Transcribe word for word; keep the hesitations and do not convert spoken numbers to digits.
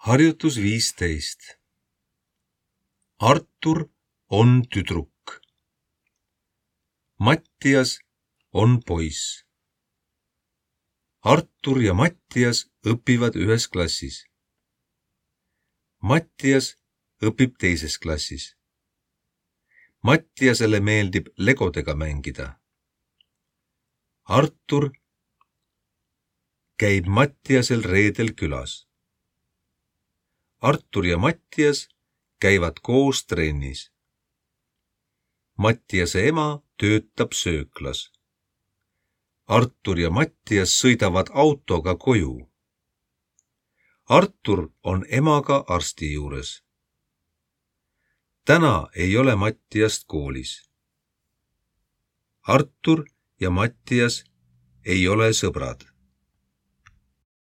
Harjutus viisteist. Artur on tüdruk. Mattias on poiss. Artur ja Mattias õpivad ühes klassis. Mattias õpib teises klassis. Mattiasele meeldib legodega mängida. Artur käib Mattiasel reedel külas. Artur ja Mattias käivad koos trennis. Mattiase ema töötab sööklas. Artur ja Mattias sõidavad autoga koju. Artur on emaga arsti juures. Täna ei ole Mattiast koolis. Artur ja Mattias ei ole sõbrad.